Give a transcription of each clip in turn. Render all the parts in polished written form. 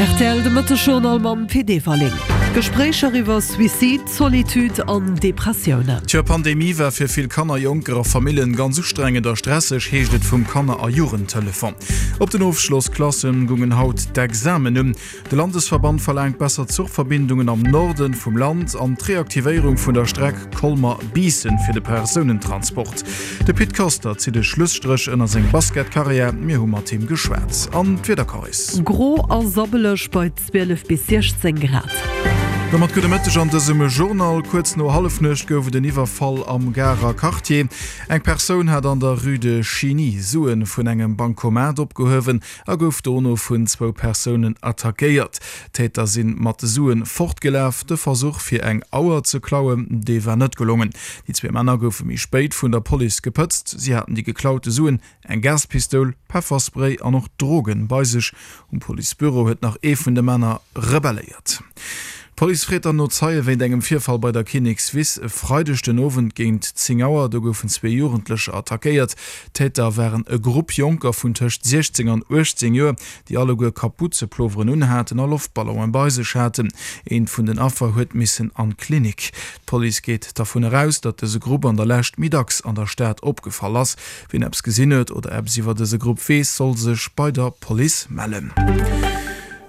Rtl, De Mëtteg-Journal mam Pit Everling. Gespréicher iwwer Suicide, Solitude an Depressiounen. D'Joer Pandemie war fir vill Kanner, Jonker a Famillen ganz ustrengend a stresseg, heescht et vum Kanner a Jugendtelefon. Op den Ofschlossklassen gungen haut d'Examen un. De Landesverband verlaangt besser Zuchverbindungen am Norden vum Land an d'Reaktivéierung vun der Streck Colmer-Biissen fir de Persounentransport. De Pit Koster zitt e Schlusstréch ënner seng Basketkarriär, mir hu mat him geschwat. An d'Wiederkaris. Gro a sabbeleg bei 12 bis 16 Grad. Domat gudde Mëtteg an dësem Journal. Kuerz no Hallefnuecht gouf et en Iwwerfall am Garer Quartier. Eng Persoun hat an der Rue de Chiny Suen vun engem Bancomat opgehuewen a gouf dono vun zwou Persounen attackéiert. D'Täter si mat de Suen fortgelaf. De Versuch fir eng Auer ze klauen, dee war net gelongen. Déi zwee Männer goufe méi spéit vun der Police gepëtzt. Si haten déi geklaute Suen, eng Gaspistoul, Pefferspray an och Drogen bei sech. Um Policebüro huet nach ee vun de Männer rebelléiert. D'Police freet dann no Zeie wéint engem Virfall bei der Kinnekswiss e Freideg den Owend géint 10 Auer. Do goufen zwee Jugendlecher attackéiert. D'Täter waren e Grupp Jonker vun tëscht 16 an 18 Joer, déi alleguer Kaputzeploveren unhaten a Loftballonen bei sech haten. Eent vun den Affer huet missen an d'Klinik. D'Police geet dervun eraus, datt dëse Grupp an der Lescht méi dacks an der Stad opgefall ass. Wien eppes gesinn huet oder eppes iwwer dëse Grupp weess, soll sech bei der Police mellen.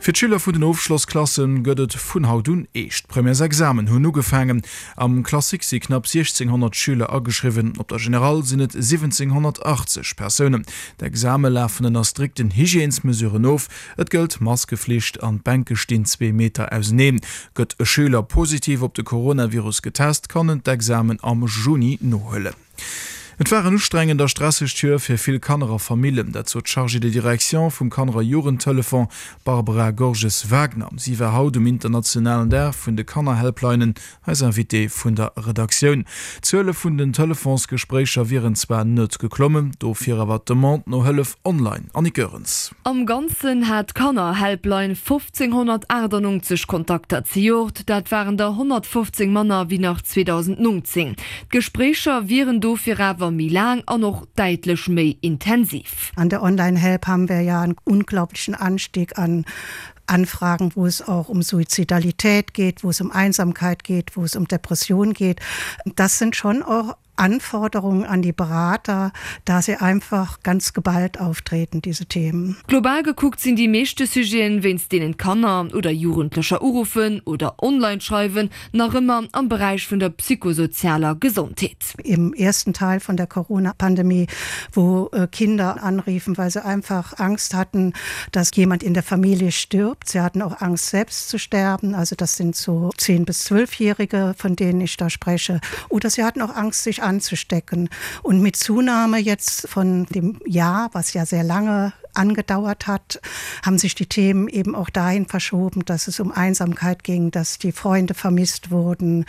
Fir d'Schüler vun den Ofschlossklasse gëtt et vun haut un eescht. D'Premièresexamen hunn ugefaangen. Am Classique si knapp 1.600 Schüler ageschriwwen, op der Générale sinn et 1.780 Persounen. D'Exame lafen ënner strikten Hygiènesmesuren of. Et gëllt Maskeflicht an d'Bänke stinn zwee Meter auseneen. Gëtt e Schüler positiv op de Coronavirus getest, kann en d'Examen am Juni nohuelen. Et war en ustrengend a stressegt Joer fir vill Kanner a Famillen. Dat sot d'Chargée de direction vum Kanner a Jugendtelefon, Barbara Gorges-Wagner. Si war haut um internationalen Dag vun de Kannerhelplinen eis Invitée vun der Redaktioun. D'Zuele vun den Telefonsgespréicher wieren zwar net geklommen, dofir awer d'Demande no Hëllef online. Annick Goerens. Am Ganzen hat d'Kannerhelpline 1598 Kontakter zejoert, dat waren der 115 manner wéi nach 2019. D'Gespréicher wieren dofir awer méi laang an och däitlech méi intensiv. An der Online-Help haben wir ja einen unglaublichen Anstieg an Anfragen, wo es auch um Suizidalität geht, wo es um Einsamkeit geht, wo es um Depression geht. Das sind schon auch Anforderungen an die Berater, da sie einfach ganz geballt auftreten, diese Themen. Global gekuckt sinn déi meeschte Sujeten, wéinst deenen Kanner oder Jugendlecher uruffen oder online schreiwen, nach ëmmer am Beräich vun der psychosozialer Gesondheet. Im ersten Teil von der Corona-Pandemie, wo Kinder anriefen, weil sie einfach Angst hatten, dass jemand in der Familie stirbt. Sie hatten auch Angst, selbst zu sterben. Also das sind so 10 bis 12-Jährige, von denen ich da spreche. Oder sie hatten auch Angst, sich anzustecken. Und mit Zunahme jetzt von dem Jahr, was ja sehr lange angedauert hat, haben sich die Themen eben auch dahin verschoben, dass es um Einsamkeit ging, dass die Freunde vermisst wurden,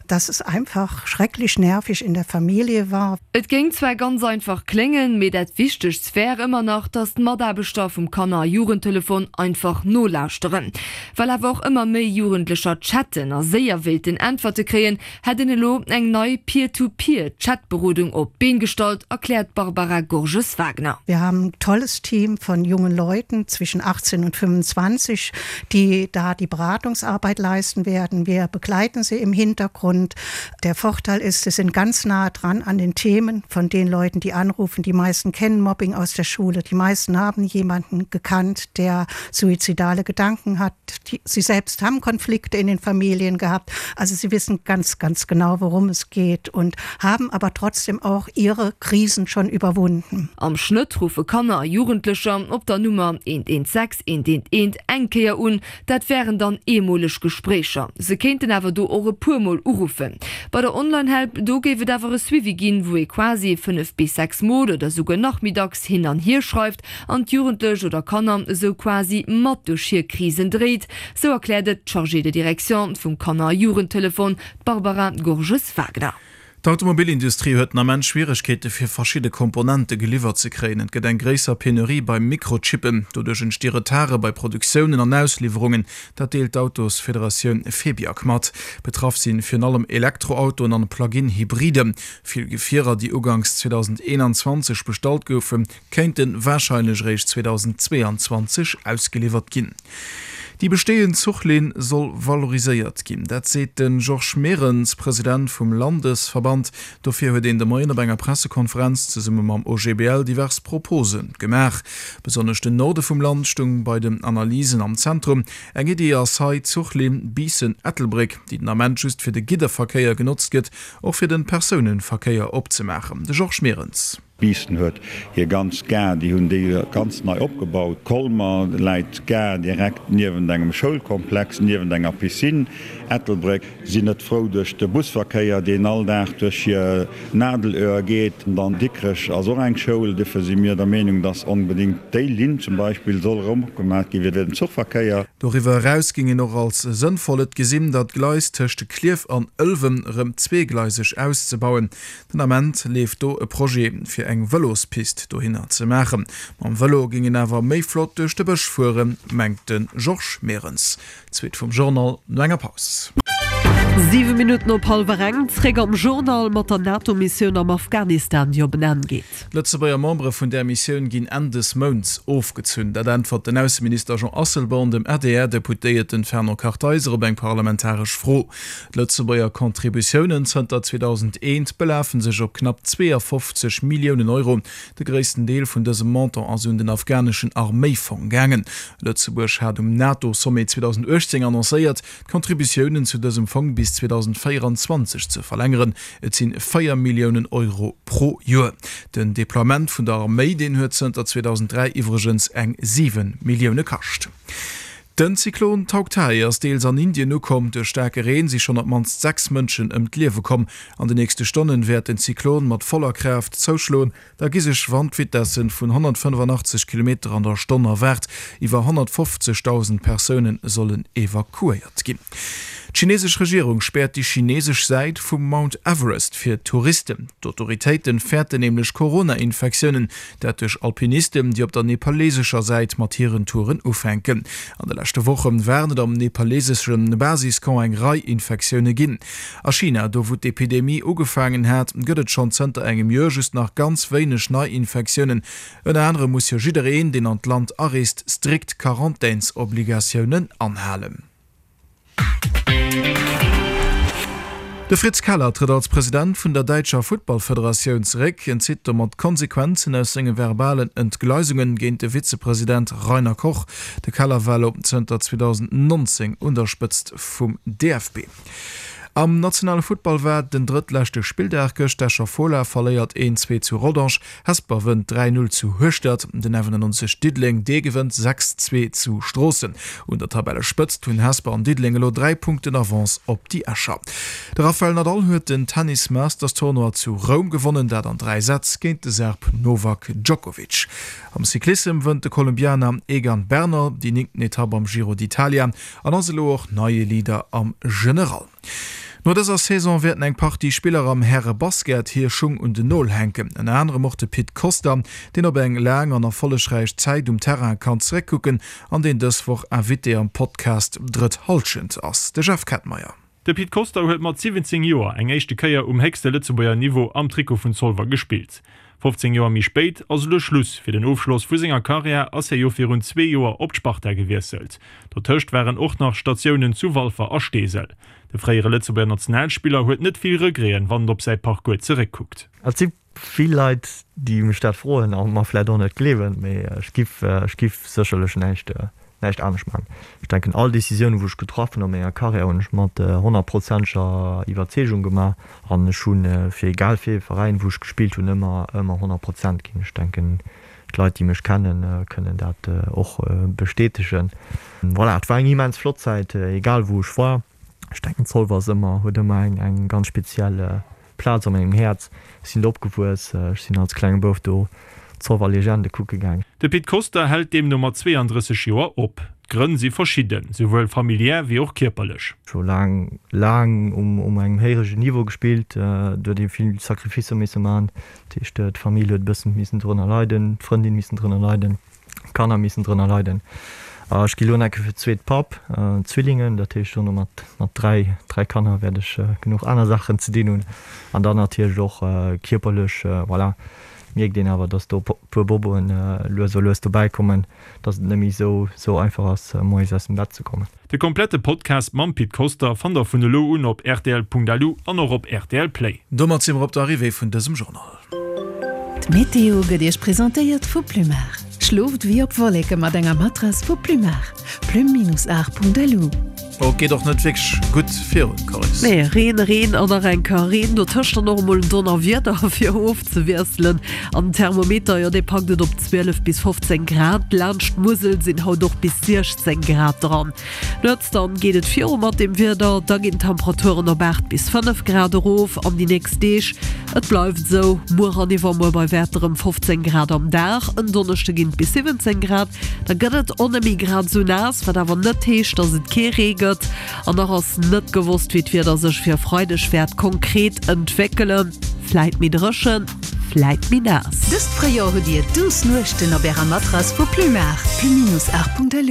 dass es einfach schrecklich nervig in der Familie war. Et géing zwar ganz einfach kléngen, mee dat Wichtegst wär ëmmer nach, dass d'Mataarbechter vum Kanner a Jugendtelefon einfach nolauschteren. Well awer och ëmmer méi Jugendlecher chatten a séier wéilten Äntwerte kréien, hätt een elo eng nei Peer-to-Peer-Chat-Berodung op d'Been gestallt, erkläert d'Barbara Gorges-Wagner. Wir haben ein tolles Team von jungen Leuten zwischen 18 und 25, die da die Beratungsarbeit leisten werden. Wir begleiten sie im Hintergrund. Der Vorteil ist, sie sind ganz nah dran an den Themen von den Leuten, die anrufen. Die meisten kennen Mobbing aus der Schule. Die meisten haben jemanden gekannt, der suizidale Gedanken hat. Die, sie selbst haben Konflikte in den Familien gehabt. Also sie wissen ganz, ganz genau, worum es geht und haben aber trotzdem auch ihre Krisen schon überwunden. Am Schnëtt ruffe Kanner a Jugendlecher op der Nummer 116 111 eng Kéier un. Dat wären dann eemoleg Gespréicher. Se kéinten awer do och e puer Mol uruffen. Bei der Online-Help, do géif et awer e Suivi ginn, wou ee quasi 5 bis 6 Mol oder souguer nach méi dacks hin an hier schreift an d'Jugendlech oder Kanner esou quasi mat duerch hir Krisen dréit, sou erkläert et d'Chargée de direction vum Kanner a Jugendtelefon, d'Barbara Gorges-Wagner. D'Automobilindustrie huet den Ament Schwieregkeete fir verschidde Komponente geliwwert ze kréien. Et gëtt eng gréisser Penurie bei Mikrochippen. Doduerch entsti Retarde bei Produktiounen an Ausliwwerungen. Dat deelt d'Autosfederatioun Febiac mat. Betraff si virun allem Elektroautoen an Plug-in-Hybriden. Vill Gefierer, déi uganks 2021 bestallt goufen, kéinte warscheinlech eréischt 2022 ausgeliwwert ginn. Déi besteeënd Zuchlinn soll valoriséiert ginn. Dat seet de Georges Merenz, President vum Landesverband. Dofir huet een de Moien op enger Pressekonferenz zesumme mam OGBL divers Propose gemaach. Besonnesch den Norde vum Land stung bei den Analysen am Zentrum. Eng Iddi ass hei d'Zuchlinn Biissen-Ettelbréck, déi den Ament just fir de Gidderverkéier genotzt gëtt, och fir de Persounenverkéier opzemaachen. De Georges Merenz. Biissen huet hir ganz Gare, déi hunn déi ganz nei opgebaut. Colmer läit d'Gare direkt niewent engem Schoulkomplex, niewent enger Piscine. Ettelbréck sinn net frou duerch de Busverkéier, deen all Dag duerch hir Nadelöhr geet. An Dikrech ass och eng Schoul. Dofir si mir der Meenung, dass onbedéngt déi Linn zum Beispill soll erëm opgemaach gi fir den Zuchverkéier. Doriwwer eraus géing een och als sënnvoll et gesinn, datt d'Gleis tëscht Klierf an Ëlwen erëm zweegleiseg auszebauen. Den Ament leeft do e Projet, fir eng Vëlospist dohinner ze maachen. Mam Vëlo géing een awer méi flott duerch de Bësch fueren, mengt de Georges Merenz. D'Suite vum Journal no enger Paus. 7 Minutten op hallwer eng, Zréck am Journal mat der NATO-Missioun am Afghanistan, déi op en Enn geet. D'Lëtzebuerger Membere vun där Missioun ginn Enn dës Mounts ofgezunn. Dat äntwert den Ausseminister Jean Asselborn dem ADR-Deputéierten Fernand Kartheiser op eng parlamentaresch Fro. D'Lëtzebuerger Contributiounen zënter 2001 belafe sech op knapp 52 Milliounen Euro. De gréissten Deel vun dësem Montant ass un den afghaneschen Arméifong gaangen. Lëtzebuerg hat um NATO-Sommet 2018 annoncéiert, d'Contributiounen zu dësem Fong bis 2024 ze verlängeren. Et sinn 4 Milliounen Euro pro Joer. Den Deploiement vun der Arméi, deen huet zënter 2003 iwwregens eng 7 Millioune kascht. Den Zyklon Tauktae ass deels an Indien ukomm. Duerch staarke Reen si schonn op d'mannst 6 Mënschen ëm d'Liewe komm. An de nächste Stonnen wäert den Zyklon mat voller Kraaft zouschloen. Da gi sech Wandvitessen vun 185 Kilometer an der Stonn erwaart. Iwwer 150.000 Persoune sollen evakuéiert ginn. D'chinesesch Regierung späert déi chinesesch Säit vum Mount Everest fir Touristen. D'Autoritéite fäerten nämlech Corona-Infektiounen. Dat duerch Alpinisten, déi op der nepalesescher Säit mat hiren Touren ufänken. An de leschte Woche waren et am nepalesesche Basiscamp eng Rei Infektioune ginn. A China, do wou d'Epidemie ugefaangen hat, gëtt et schonn zënter engem Joer just nach ganz wéineg Neiinfektiounen. Ënner anerem muss jo jiddereen, deen an d'Land areest, strikt Quarantänsobligatiounen anhalen. De Fritz Keller trëtt als President vun der däitscher Futtballfederatioun zeréck. Hien zitt domat d'Konsequenzen aus senge verbalen Entgleisunge géint de Vizepresident Rainer Koch. De Keller war elo zënter 2019 un der Spëtzt vum DFB. Am nationale Futtball war den drëttleschte Spilldag gëscht. D'Escher Fola verléiert 1, 2 zu Rodange, Hesper wënnt 3, 0 zu Hueschtert, den 91 Diddeleng dee gewënnt 6, 2 zu Stroossen. Un der Tabellespëtzt hunn Hesper an Diddeleng elo 3 Punkten Avance op déi Escher. De Rafael Nadal huet den Tennis Masters Tournoi zu Roum gewonnen, dat an 3 Sätz géint de Serb Novak Djokovic. Am Cyclissem wënnt de Kolumbianer Egan Bernal déi néngten Etapp am Giro d'Italia an ass elo och neie Leader am General. No dëser Saison wäerten eng Partie Spiller am Häre-Basket hir Schung un den Nol hänken. Ënner anerem och de Pit Costa, deen op eng laang an erfollegräich Zäit um Terrain kann zeréckkucken an deen dës Woch Invité am Podcast Drëtt Hallschent ass. De Jeff Kettmeyer. De Pit Costa huet mat 17 Joer eng éischte Kéier um héchste Lëtzebuerger Niveau am Trikot vun Zolwer gespillt. 15 Joer méi spéit ass elo Schluss. Fir den Ofschloss vu senger Karriär ass hie jo virun zwee Joer op d'Sparta gewiesselt. Dotëscht waren och nach Statiounen zu Walfer a Steesel. De fréiere Lëtzebuerger Nationalspiller huet net vill Regreten, wann en op säi Parcours zeréckkuckt. Et si vill Leit, déi mech dat froen a mer vläicht och net gleewen, mee ech giff, ech giff sécherlech näischt, näischt anescht maachen. Ech denken, all Décisiounen, wou ech getraff hunn a menger Karriär, hunn ech mat honnertprozenteger Iwwerzeegung gemaach an ech hu fir egal fir ee Veräin, wou ech gespillt hunn, ëmmer, ëmmer 100 Prozent ginn. Ech denken, d'Leit, déi mech kennen, kënnen dat och bestätegen. Voilà, et war eng immens flott Zäit, egal wou ech war. Ech denken, Zolwer ass ëmmer, huet ëmmer eng, eng ganz speziell Plaz a mengem Häerz. Ech sinn do opgewuess, ech sinn als klenge Bouf do d'Zolwer Legende kucke gaang. De Pit Koster hält deemno mat 32 Joer op. D'Grënn si verschidden, souwuel familiär wéi och kierperlech. Scho laang, laang um engem héirege Niveau gespillt. Do huet ee vill Sacrificer misse man. Dat heescht, d'Famill huet e bëssen missen drënner leiden, d'Frëndin missen drënner leiden, d'Kanner missen drënner leiden. Ech gi lo enke fir d'zweet Papp, Zwillingen. Dat heescht, dono mat, mat 3, 3 Kanner wäert ech genuch aner Saachen ze dinn hunn. An dann natierlech och kierperlech, voilà, mierkt een awer, dass do e puer Boboen lues a lues dobäi kommen. dass et net méi sou sou einfach ass moies aus dem Bett ze kommen. De komplette Podcast mam Pit Koster fannt der vun elo un op rtl.lu an och op rtl Play. Domat si mer op der Arrivée vun dësem Journal. D'Meteo gëtt Iech presentéiert vu Plumar. Schlooft wéi op Wolleke mat enger Matrass vu Plumar. Plume-art.lu. Oh, et geet och net wierklech gutt virun, Coris. Nee, Reen, Reen an nach eng Kéier Reen, dotëscht dann och emol en Donnerwieder fir ofzewiesselen. An den Thermometer, jo dee packt et op 12 bis 15 Grad. Laanscht d'Musel sinn haut och bis 16 Grad dran. Nuets dann geet et viru mat dem Wieder, da ginn d'Temperaturen op 8 bis 5 Grad erof. An déi nächst Deeg, et bleift esou, muer an iwwermuer bei Wäerter ëm 15 Grad am Dag, en Donneschde ginn et bis 17 Grad. Da gëtt et och net méi grad esou naass, wat awer net heescht, dass et kee Ree gëtt. An nach ass net gewosst, wéi d'Wieder sech fir e Freideg wäert konkret entwéckelen. Vläit méi dréchen, vläit méi naass. Dëst Fréijoer hutt Dir duuss Nuechten op Ärer Matrass vu Plumar. Pluminousart.lu.